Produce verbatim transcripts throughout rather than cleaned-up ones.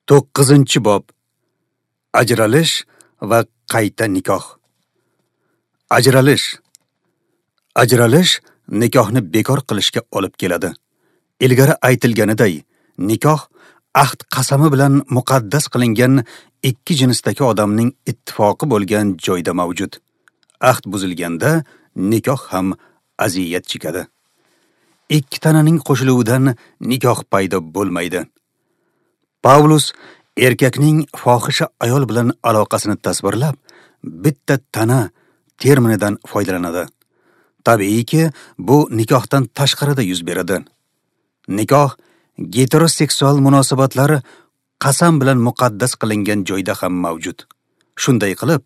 To'qqizinchi bob. Ajralish va qayta nikoh. Ajralish. Ajralish nikohni bekor qilishga olib keladi. Ilgari aytilganiday, nikoh ahd qasami bilan muqaddas qilingan ikki jinsdagi odamning ittifoqi bo'lgan joyda mavjud. Ahd buzilganda nikoh ham aziyat chekadi. Ikki tananing qo'shiluvidan nikoh paydo bo'lmaydi. Pavlus erkakning fohisha ayol bilan aloqasini tasvirlab, bitta tana terminidan foydalanadi. Tabiiyki, bu nikohdan tashqarida yuz beradi. Nikoh geteroseksual munosabatlar qasam bilan muqaddas qilingan joyda ham mavjud. Shunday qilib,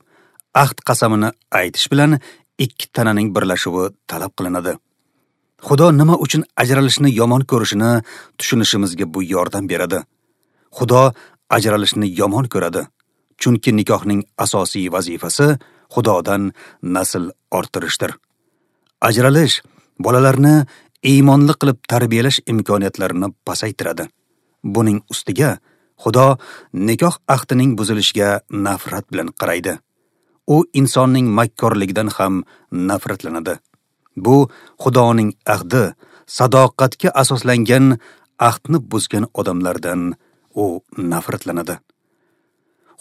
ahd qasamini aytish bilan ikki tananing birlashuvi talab qilinadi. Xudo nima uchun ajralishni yomon ko'rishini tushunishimizga bu yordam beradi. Xudo ajralishni yomon ko'radi, chunki nikohning asosiy vazifasi Xudodan nasl orttirishdir. Ajralish bolalarni iymonli qilib tarbiyalash imkoniyatlarini pasaytiradi. Buning ustiga Xudo nikoh ahdining buzilishiga nafrat bilan qaraydi. U insonning makkorligidan ham nafratlanadi. Bu Xudoning ahdi, sadoqatga asoslangan ahdni buzgan odamlardan u nafratlanadi.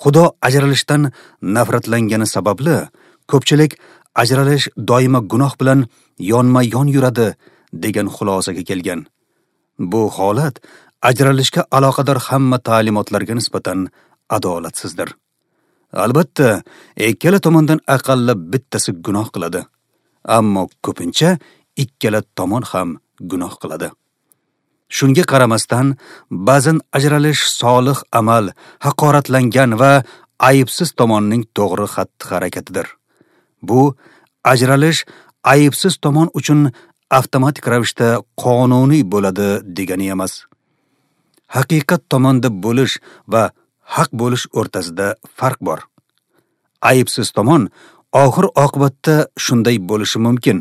Xudo ajralishdan nafratlangani sababli ko'pchilik ajralish doimo gunoh bilan yonma-yon yuradi degan xulosaga kelgan. Bu holat ajralishga aloqador hamma ta'limotlarga nisbatan adolatsizdir. Albatta, ikkala tomondan aqalli bittasi gunoh qiladi. Ammo ko'pincha ikkala tomon ham gunoh qiladi. Shunga qaramasdan, ba'zan ajralish solih amal, haqoratlangan va aybsiz tomonning to'g'ri xatti-harakatidir. Bu ajralish aybsiz tomon uchun avtomatik ravishda qonuniy bo'ladi degani emas. Haqiqat tomonda bo'lish va haq bo'lish o'rtasida farq bor. Aybsiz tomon oxir oqibatda shunday bo'lishi mumkin,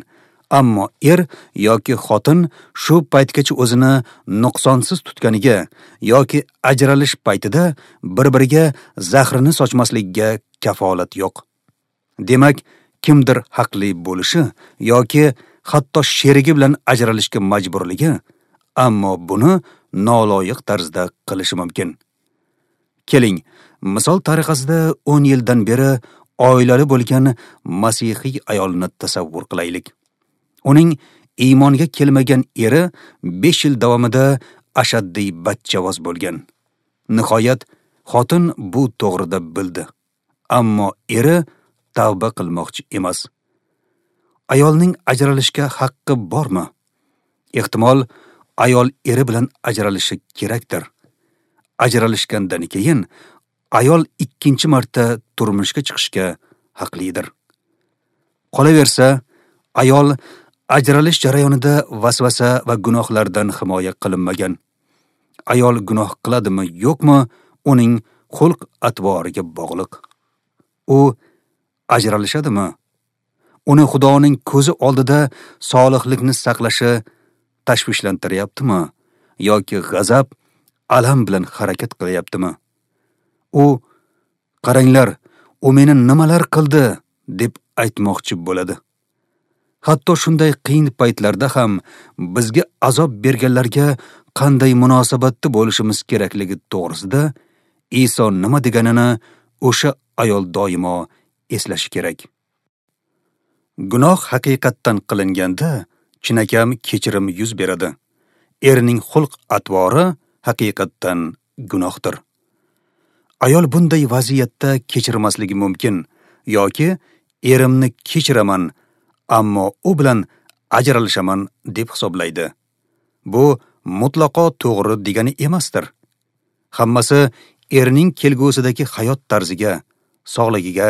ammo er yoki xotin shu paytgacha o'zini nuqsonsiz tutganiga yoki ajralish paytida bir-biriga zahrini sochmasligiga kafolat yo'q. Demak, kimdir haqli bo'lishi yoki hatto sherigi bilan ajralishga majburligi, ammo buni noloyiq tarzda qilishi mumkin. Keling, misol tariqasida o'n yildan beri oilali bo'lgan masihiy ayolni tasavvur qilaylik. Uning iymonga kelmagan eri besh yil davomida ashaddiy badjavoz bo'lgan. Nihoyat xotin bu to'g'rida bildi, ammo eri tavba qilmoqchi emas. Ayolning ajralishga haqqi bormi? Ehtimol, ayol eri bilan ajralishi kerakdir. Ajralishgandan keyin ayol ikkinchi marta turmushga chiqishga haqlidir. Qolaversa, ayol ajralish jarayonida vasvasa va gunohlardan himoya qilinmagan. Ayol gunoh qiladimi, yo'qmi, uning xulq atvoriga bog'liq. U ajralishadimi? Uni Xudoning ko'zi oldida solihlikni saqlashi tashvishlantiryaptimi yoki g'azab, alam bilan harakat qilyaptimi? U, qaranglar, u meni nimalar qildi deb aytmoqchi bo'ladi. Hatto shunday qiyin paytlarda ham bizga azob berganlarga qanday munosabatda bo'lishimiz kerakligi to'g'risida Iso nima deganini o'sha ayol doimo eslashi kerak. Gunoh haqiqatdan qilinganda chinakam kechirim yuz beradi. Erning xulq atvori haqiqatdan gunohdir. Ayol bunday vaziyatda kechirmasligi mumkin yoki erimni kechiraman, ammo u bilan ajralishaman deb hisoblaydi. Bu mutlaqo to'g'ri degani emasdir. Hammasi erning kelgusidagi hayot tarziga, sog'ligiga,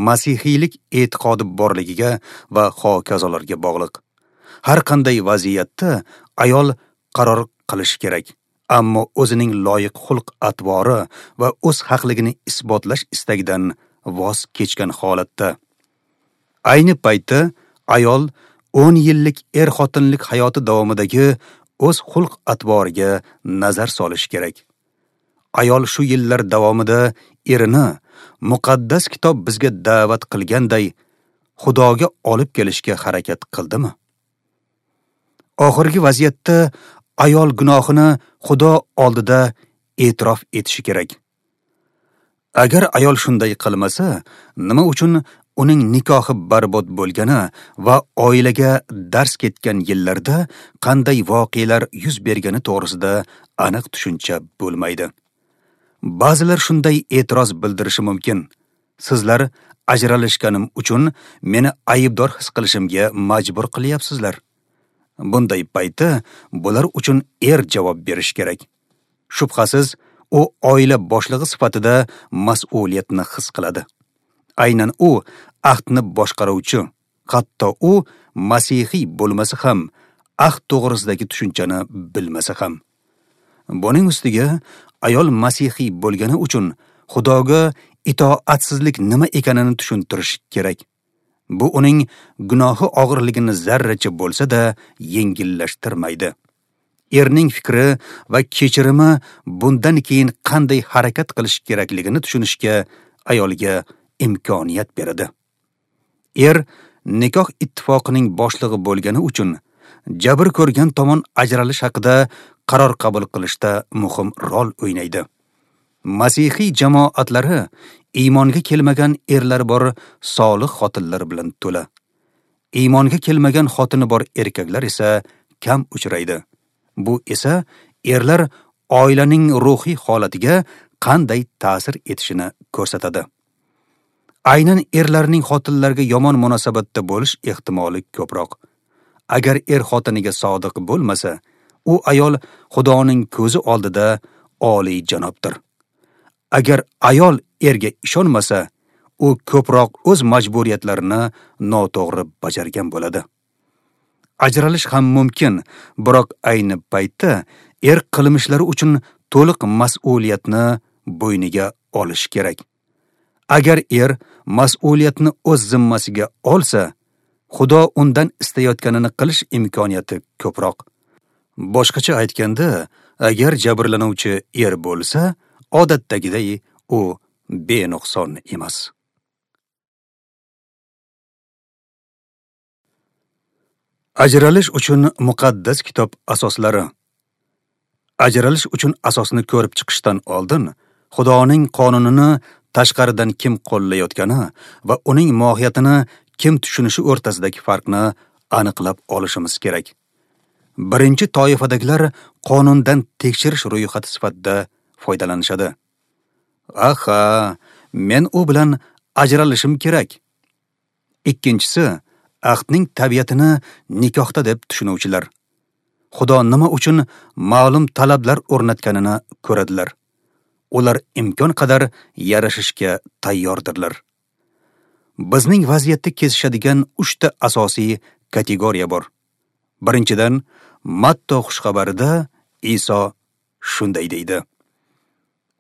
masihiylik e'tiqodi borligiga va hokazolarga bog'liq. Har qanday vaziyatda ayol qaror qilishi kerak, ammo o'zining loyiq xulq atvori va o'z haqligini isbotlash istagidan voz kechgan holatda. Ayni paytda ayol o'n yillik er-xotinlik hayoti davomidagi o'z xulq atvoriga nazar solishi kerak. Ayol shu yillar davomida erini muqaddas kitob bizga da'vat qilganday Xudoga olib kelishga harakat qildimi? Oxirgi vaziyatda ayol gunohini Xudo oldida e'tirof etishi kerak. Agar ayol shunday qilmasa, nima uchun uning nikohi barbod bo'lgani va oilaga dars ketgan yillarda qanday voqealar yuz bergani to'g'risida aniq tushuncha bo'lmaydi. Ba'zilar shunday e'tiroz bildirishi mumkin. Sizlar ajralishganim uchun meni aybdor his qilishimga majbur qilyapsizlar. Bunday paytda bular uchun er javob berish kerak. Shubhasiz, u oila boshlig'i sifatida mas'uliyatni his qiladi. Aynan u ahdni boshqaruvchi, hatto u masihiy bo'lmasa ham, ahd to'g'risidagi tushunchani bilmasa ham. Buning ustiga ayol masihiy bo'lgani uchun Xudoga itoatsizlik nima ekanini tushuntirish kerak. Bu uning gunohi og'irligini zarracha bo'lsa-da yengillashtirmaydi. Erning fikri va kechirimi bundan keyin qanday harakat qilish kerakligini tushunishga ayolga imkoniyat beradi. Er nikoh ittifoqining boshlig'i bo'lgani uchun jabr ko'rgan tomon ajralish haqida qaror qabul qilishda muhim rol o'ynaydi. Masihiy jamoatlari iymonga kelmagan erlar bor solih xotinlar bilan to'la. Iymonga kelmagan xotini bor erkaklar esa kam uchraydi. Bu esa erlar oilaning ruhiy holatiga qanday ta'sir etishini ko'rsatadi. Aynan erlarning xotinlarga yomon munosabatda bo'lish ehtimoli ko'proq. Agar er xotiniga sodiq bo'lmasa, u ayol Xudoning ko'zi oldida oliy janobdir. Agar ayol erga ishonmasa, u ko'proq o'z majburiyatlarini noto'g'ri bajargan bo'ladi. Ajralish ham mumkin, biroq ayni paytda er qilmishlari uchun to'liq mas'uliyatni bo'yniga olish kerak. Agar er mas'uliyatni o'z zimmasiga olsa, Xudo undan istayotganini qilish imkoniyati ko'proq. Boshqacha aytganda, agar jabrlanuvchi er bo'lsa, odatdagiday u benuqson emas. Ajralish uchun muqaddas kitob asoslari. Ajralish uchun asosni ko'rib chiqishdan oldin Xudoning qonunini tashqaridan kim qo'llayotgani va uning mohiyatini kim tushunishi o'rtasidagi farqni aniqlab olishimiz kerak. Birinchi toifadagilar qonundan tekshirish ro'yxati sifatida foydalanishadi. Aha, men u bilan ajralishim kerak. Ikkinchisi, ahdning tabiatini nikohda deb tushunuvchilar. Xudo nima uchun ma'lum talablar o'rnatganini ko'radilar. Ular imkon qadar yarashishga tayyordirlar. Bizning vaziyatda kesishadigan uchta asosiy kategoriya bor. Birinchidan, Matto xushxabarida Iso shunday deydi: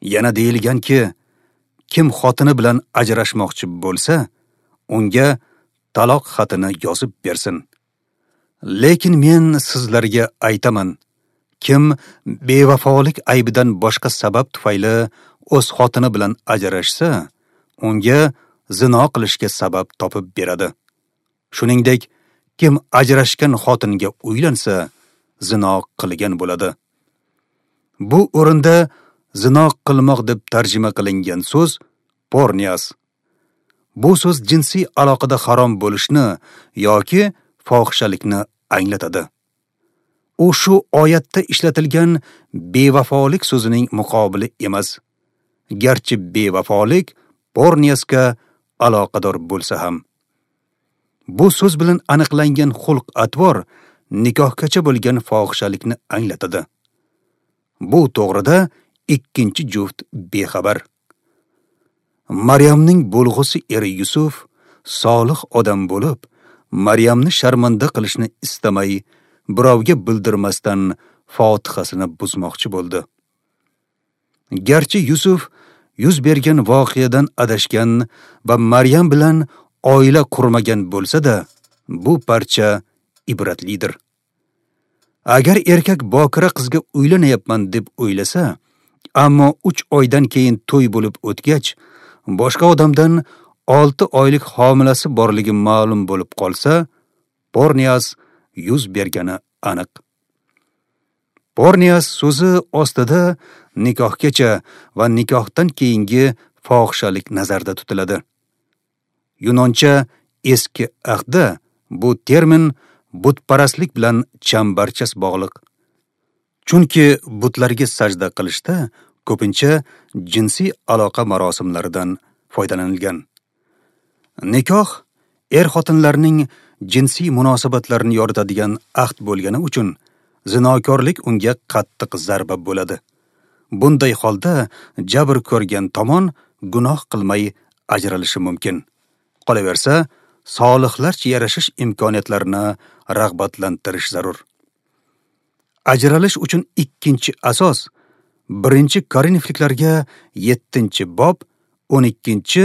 Yana deyilganki, kim xotini bilan ajrashmoqchi bo'lsa, unga taloq xatini yozib bersin. Lekin men sizlarga aytaman, kim bevafolik aybidan boshqa sabab tufayli o'z xotini bilan ajrashsa, unga zino qilishga sabab topib beradi. Shuningdek, kim ajrashgan xotinga uylansa, zino qilgan bo'ladi. Bu o'rinda zino qilmoq deb tarjima qilingan so'z pornias. Bu so'z jinsiy aloqada harom bo'lishni yoki fohishalikni anglatadi. U shu oyatda ishlatilgan bevafolik so'zining muqobili emas. Garchi bevafolik porniasga aloqador bo'lsa ham. Bu so'z bilan aniqlangan xulq-atvor nikohgacha bo'lgan fohishalikni anglatadi. Bu to'g'rida ikkinchi juft bexabar. Maryamning bo'lg'usi eri Yusuf solih odam bo'lib, Maryamni sharmanda qilishni istamay, birovga bildirmasdan fotihasini buzmoqchi bo'ldi. Garchi Yusuf yuz bergan voqeadan adashgan va Maryam bilan oila qurmagan bo'lsa-da, bu parcha ibratlidir. Agar erkak bokira qizga uylanyapman deb o'ylasa, Ammo uch oydan keyin to'y bo'lib o'tgach, boshqa odamdan olti oylik homilasi borligi ma'lum bo'lib qolsa, pornias yuz bergani aniq. Pornias so'zi ostida nikohgacha va nikohdan keyingi fohishalik nazarda tutiladi. Yunoncha eski ahdda bu termin butparastlik bilan chambarchas bog'liq. Chunki butlarga sajda qilishda ko'pincha jinsiy aloqa marosimlaridan foydalanilgan. Nikoh er-xotinlarning jinsiy munosabatlarini yoritadigan ahd bo'lgani uchun zinokorlik unga qattiq zarba bo'ladi. Bunday holda jabr ko'rgan tomon gunoh qilmay ajralishi mumkin. Qolaversa, solihlarcha yarashish imkoniyatlarini rag'batlantirish zarur. Ajralish uchun ikkinchi asos birinchi Korinfliklarga yettinchi bob o'n ikkinchi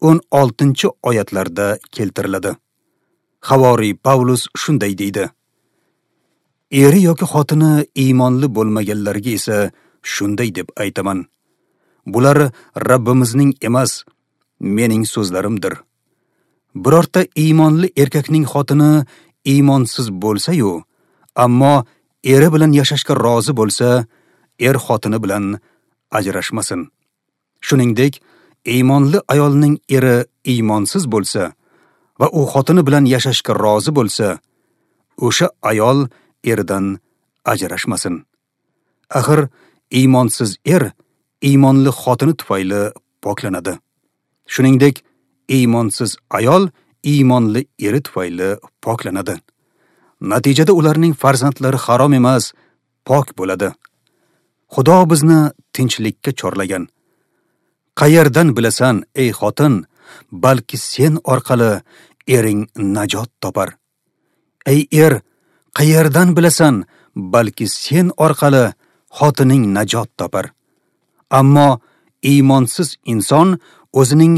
o'n oltinchi oyatlarda keltiriladi. Havoriy Pavlus shunday deydi: Eri yoki xotini iymonli bo'lmaganlarga esa shunday deb aytaman. Bular Rabbimizning emas, mening so'zlarimdir. Birorta iymonli erkakning xotini iymonsiz bo'lsa-yu, ammo eri bilan yashashga rozi bo'lsa, er xotini bilan ajrashmasin. Shuningdek, iymonli ayolning eri iymonsiz bo'lsa va u xotini bilan yashashga rozi bo'lsa, o'sha ayol eridan ajrashmasin. Axir iymonsiz er iymonli xotini tufayli poklanadi. Shuningdek, iymonsiz ayol iymonli eri tufayli poklanadi. Natijada ularning farzandlari harom emas, pok bo'ladi. Xudo bizni tinchlikka chorlagan. Qayerdan bilasan, ey xotin, balki sen orqali ering najot topar. Ey er, qayerdan bilasan, balki sen orqali xotining najot topar. Ammo iymonsiz inson o'zining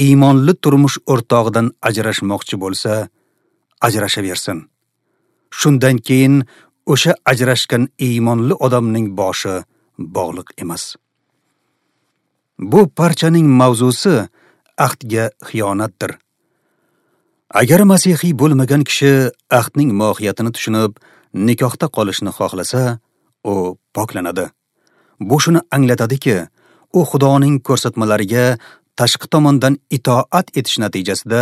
iymonli turmush o'rtog'idan ajrashmoqchi bo'lsa, ajrashaversin. Shundan keyin o'sha ajrashgan iymonli odamning boshi bog'liq emas. Bu parchaning mavzusi ahdga xiyonatdir. Agar masihiy bo'lmagan kishi ahdning mohiyatini tushunib, nikohda qolishni xohlasa, u poklanadi. Bu shuni anglatadiki, u Xudoning ko'rsatmalariga tashqi tomondan itoat etish natijasida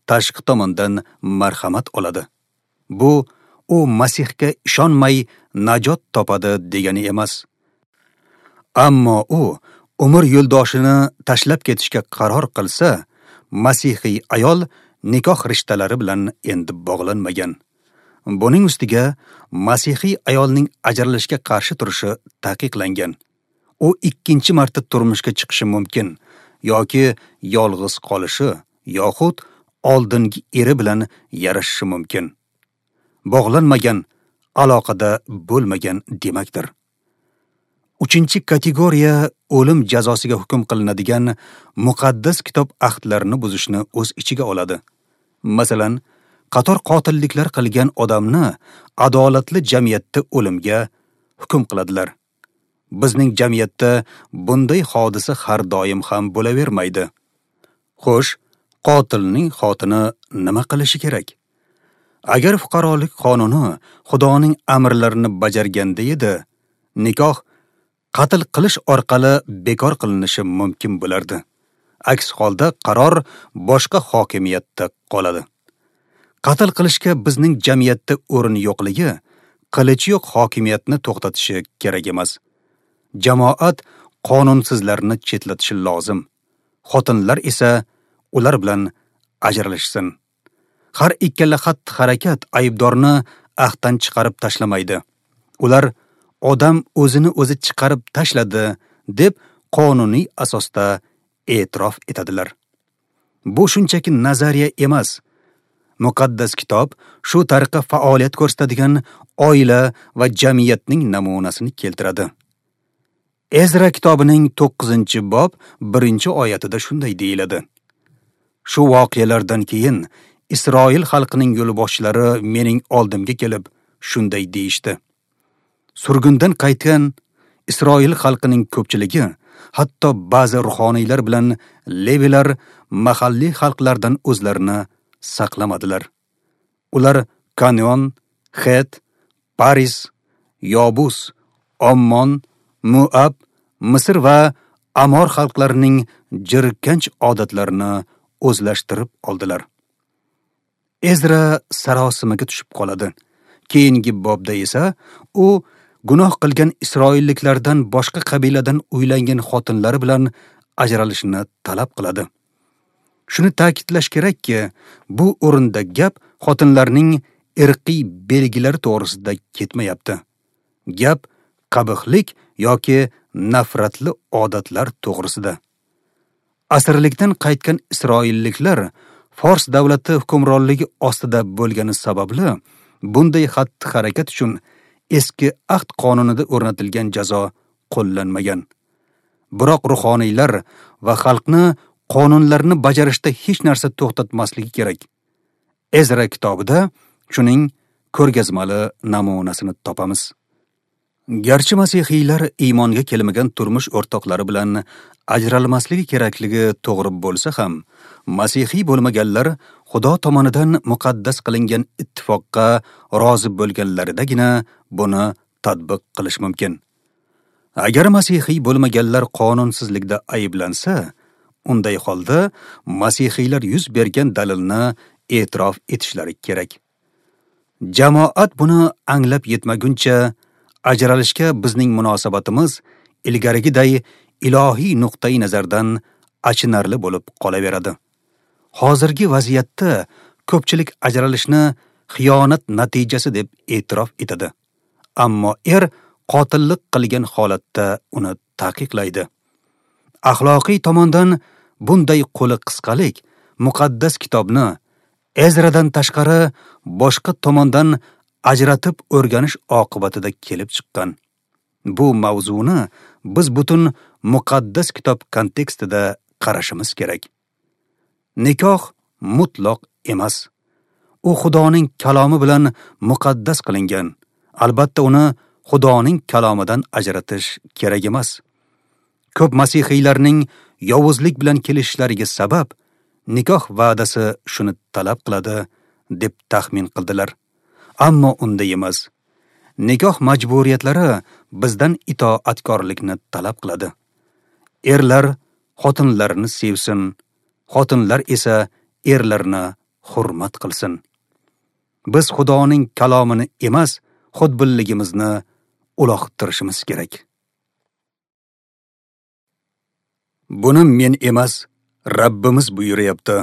tashqi tomondan marhamat oladi. Bu u Masihga ishonmay najot topadi degani emas. Ammo u umr yo'ldoshini tashlab ketishga qaror qilsa, masihiy ayol nikoh rishtalari bilan endi bog'lanmagan. Buning ustiga masihiy ayolning ajralishga qarshi turishi taqiqlangan. U ikkinchi marta turmushga chiqishi mumkin yoki yolg'iz qolishi yoxud oldingi eri bilan yarashishi mumkin. Bog'lanmagan, aloqada bo'lmagan demakdir. Uchinchi kategoriya o'lim jazosiga hukm qilinadigan muqaddas kitob ahdlarini buzishni o'z ichiga oladi. Masalan, qator qotilliklar qilgan odamni adolatli jamiyatda o'limga hukm qiladilar. Bizning jamiyatda bunday hodisa har doim ham bo'lavermaydi. Xo'sh, qotilning xotini nima qilishi kerak? Agar fuqarolik qonuni Xudoning amrlarini bajarganda edi, nikoh qatl qilish orqali bekor qilinishi mumkin bo'lardi. Aks holda qaror boshqa hokimiyatda qoladi. Qatl qilishga bizning jamiyatda o'rin yo'qligi, qilichi yo'q hokimiyatni to'xtatishi kerak emas. Jamoat qonunsizlarni chetlatishi lozim. Xotinlar esa ular bilan ajralishsin. Har ikkala xatti-harakat aybdorni ahddan chiqarib tashlamaydi. Ular odam o'zini o'zi chiqarib tashladi deb qonuniy asosda e'tirof etadilar. Bu shunchaki nazariya emas. Muqaddas kitob shu tariqa faoliyat ko'rsatadigan oila va jamiyatning namunasini keltiradi. Ezra kitobining to'qqizinchi bob birinchi oyatida shunday deyiladi: Shu voqealardan keyin Isroil xalqining yo'lboshchilari mening oldimga kelib shunday deyishdi: Surgundan qaytgan Isroil xalqining ko'pchiligi, hatto ba'zi ruhoniylar bilan levilar mahalliy xalqlardan o'zlarini saqlamadilar. Ular Kanyon, Het, Paris, Yobus, Ommon, Muab, Misr va Amor xalqlarining jirkanch odatlarini o'zlashtirib oldilar. Ezra sarosimaga tushib qoladi. Keyingi bobda esa u gunoh qilgan isroilliklardan boshqa qabiladan uylangan xotinlari bilan ajralishni talab qiladi. Shuni ta'kidlash kerakki, bu o'rinda gap xotinlarning irqiy belgilari to'g'risida ketmayapti. Gap qabihlik yoki nafratli odatlar to'g'risida. Asirlikdan qaytgan isroilliklar Fors davlati hukmronligi ostida bo'lgani sababli bunday xatti-harakat uchun eski ahd qonunida o'rnatilgan jazo qo'llanmagan. Biroq ruhoniylar va xalqni qonunlarni bajarishda hech narsa to'xtatmasligi kerak. Ezra kitobida shuning ko'rgazmali namunasini topamiz. Garchi masihiylar iymonga kelmagan turmush o'rtoqlari bilan ajralmasligi kerakligi to'g'ri bo'lsa ham, masihiy bo'lmaganlar Xudo tomonidan muqaddas qilingan ittifoqqa rozi bo'lganlaridagina buni tatbiq qilish mumkin. Agar masihiy bo'lmaganlar qonunsizlikda ayblansa, unday holda masihiylar yuz bergan dalilni e'tirof etishlari kerak. Jamoat buni anglab yetmaguncha ajralishga bizning munosabatimiz ilgarigiday ilohiy nuqtai nazardan achinarli bo'lib qolaveradi. Hozirgi vaziyatda ko'pchilik ajralishni xiyonat natijasi deb e'tirof etadi. Ammo er qotillik qilgan holatda uni taqiqlaydi. Axloqiy tomondan bunday qo'li qisqalik muqaddas kitobni Ezradan tashqari boshqa tomondan ajratib o'rganish oqibatida kelib chiqqan. Bu mavzuni biz butun muqaddas kitob kontekstida qarashimiz kerak. Nikoh mutloq emas. U Xudoning kalomi bilan muqaddas qilingan. Albatta uni Xudoning kalomidan ajratish kerak emas. Ko'p masihiylarning yovuzlik bilan kelishishlariga sabab nikoh va'dasi shuni talab qiladi deb taxmin qildilar. Ammo unday emas. Nikoh majburiyatlari bizdan itoatkorlikni talab qiladi. Erlar xotinlarini sevsin, xotinlar esa erlarni hurmat qilsin. Biz Xudoning kalomini emas, xudbinligimizni uloqtirishimiz kerak. Buni men emas, Rabbimiz buyuryapti.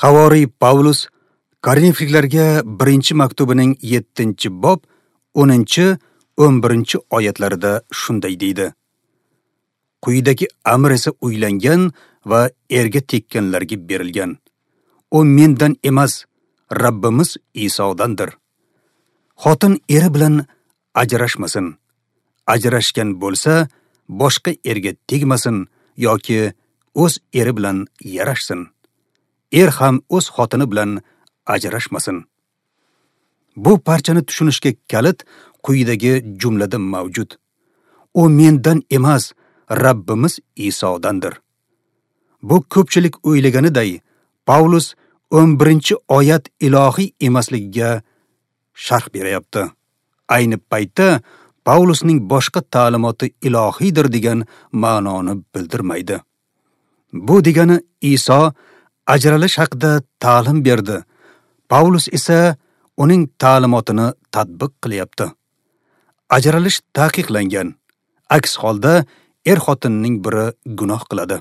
Havoriy Pavlus Korinfliklarga birinchi maktubining yettinchi bob o'ninchi o'n birinchi oyatlarida shunday deydi. Quyidagi amr esa uylangan va erga tekkanlarga berilgan. U mendan emas, Rabbimiz Isodandir. Xotin eri bilan ajrashmasin. Ajrashgan bo'lsa, boshqa erga tegmasin yoki o'z eri bilan yarashsin. Er ham o'z xotini bilan ajrashmasin. Bu parchani tushunishga kalit quyidagi jumlada mavjud. U mendan emas, Rabbimiz Isodandir. Bu ko'pchilik o'ylaganiday, Pavlus o'n birinchi oyat ilohiy emasligiga sharh beryapti. Ayni paytda Pavlusning boshqa ta'limoti ilohiydir degan ma'noni bildirmaydi. Bu degani Iso ajralish haqida ta'lim berdi. Pavlus esa uning ta'limotini tatbiq qilyapti. Ajralish taqiqlangan. Aks holda er-xotinning biri gunoh qiladi.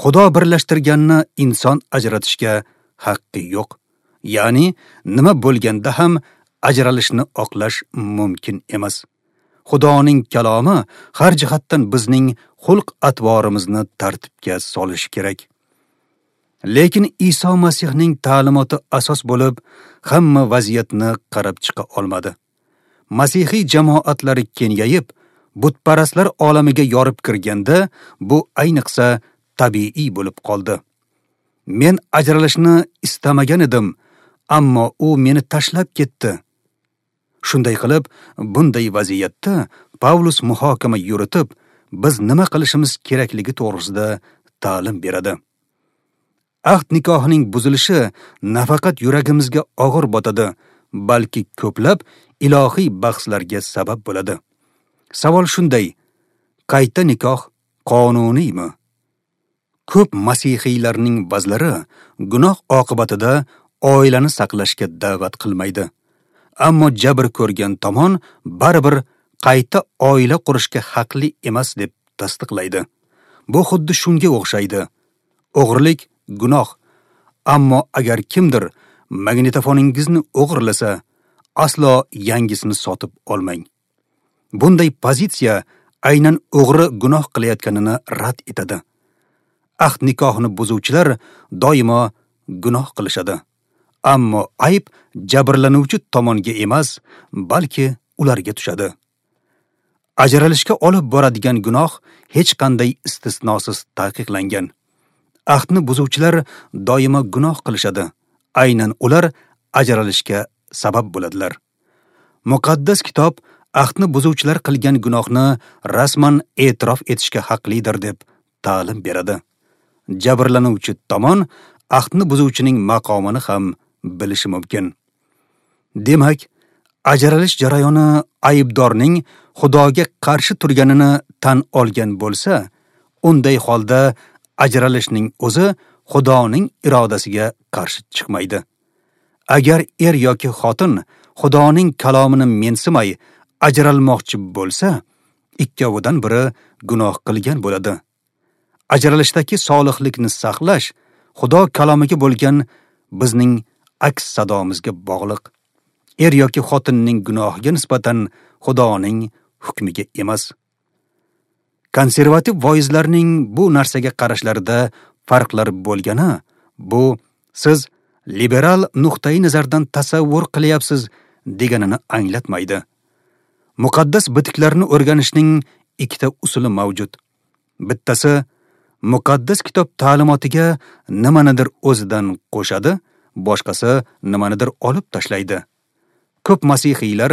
Xudo birlashtirganni inson ajratishga haqqi yo'q. Ya'ni nima bo'lganda ham ajralishni oqlash mumkin emas. Xudoning kalomi har jihatdan bizning xulq-atvorimizni tartibga solishi kerak. Lekin Iso Masihning ta'limoti asos bo'lib, hamma vaziyatni qarab chiqa olmadi. Masihiy jamoatlari kengayib, butparastlar olamiga yorib kirganda, bu ayniqsa tabiiy bo'lib qoldi. Men ajralishni istamagan edim, ammo u meni tashlab ketdi. Shunday qilib, bunday vaziyatda Pavlus muhokama yuritib, biz nima qilishimiz kerakligi to'g'risida ta'lim beradi. Ahd nikohining buzilishi nafaqat yuragimizga og'ir botadi, balki ko'plab ilohiy bahslarga sabab bo'ladi. Savol shunday: qayta nikoh qonuniymi? Ko'p masihiylarning ba'zilari gunoh oqibatida oilani saqlashga da'vat qilmaydi. Ammo jabr ko'rgan tomon baribir qayta oila qurishga haqli emas deb tasdiqlaydi. Bu xuddi shunga o'xshaydi. O'g'rilik gunoh. Ammo agar kimdir magnitofoningizni o'g'irlasa, aslo yangisini sotib olmang. Bunday pozitsiya aynan o'g'ri gunoh qilayotganini rad etadi. Ahd nikohini buzuvchilar doimo gunoh qilishadi. Ammo ayb jabrlanuvchi tomonga emas, balki ularga tushadi. Ajralishga olib boradigan gunoh hech qanday istisnosiz taqiqlangan. Ahdni buzuvchilar doimo gunoh qilishadi. Aynan ular ajralishga sabab bo'ladilar. Muqaddas kitob ahdni buzuvchilar qilgan gunohni rasman e'tirof etishga haqlidir deb ta'lim beradi. Jabrlanuvchi tomon ahdni buzuvchining maqomini ham bilishi mumkin. Demak, ajralish jarayoni aybdorning Xudoga qarshi turganini tan olgan bo'lsa, unday holda ajralishning o'zi Xudoning irodasiga qarshi chiqmaydi. Agar er yoki xotin Xudoning kalomini mensimay ajralmoqchi bo'lsa, ikkovidan biri gunoh qilgan bo'ladi. Ajralishdagi solihlikni saqlash Xudo kalomiga bo'lgan bizning aks sadomizga bog'liq. Er yoki xotinning gunohiga nisbatan Xudoning hukmiga emas. Konservativ voizlarning bu narsaga qarashlarida farqlar bo'lgani, bu siz liberal nuqtai nazardan tasavvur qilyapsiz deganini anglatmaydi. Muqaddas bitiklarni o'rganishning ikkita usuli mavjud. Bittasi muqaddas kitob ta'limotiga nimanidir o'zidan qo'shadi, boshqasi nimanidir olib tashlaydi. Ko'p masihiylar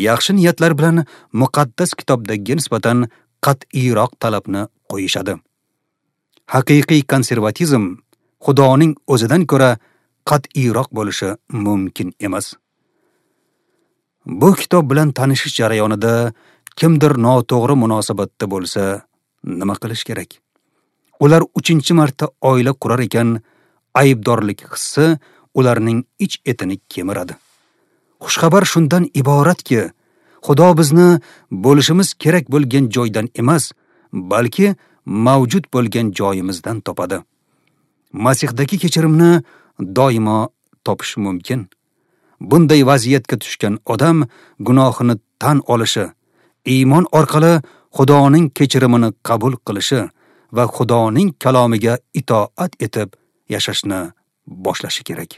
yaxshi niyatlar bilan muqaddas kitobdagiga nisbatan qat'iyroq talabni qo'yishadi. Haqiqiy konservatizm Xudoning o'zidan ko'ra qat'iyroq bo'lishi mumkin emas. Bu kitob bilan tanishish jarayonida kimdir noto'g'ri munosabatda bo'lsa, nima qilish kerak? Ular uchinchi marta oila qurar ekan, aybdorlik hissi ularning ich etini kemiradi. Xushxabar shundan iboratki, Xudo bizni bo'lishimiz kerak bo'lgan joydan emas, balki mavjud bo'lgan joyimizdan topadi. Masihdagi kechirimni doimo topish mumkin. Bunday vaziyatga tushgan odam gunohini tan olishi, iymon orqali Xudoning kechirimini qabul qilishi va Xudoning kalomiga itoat etib yashashni boshlashi kerak.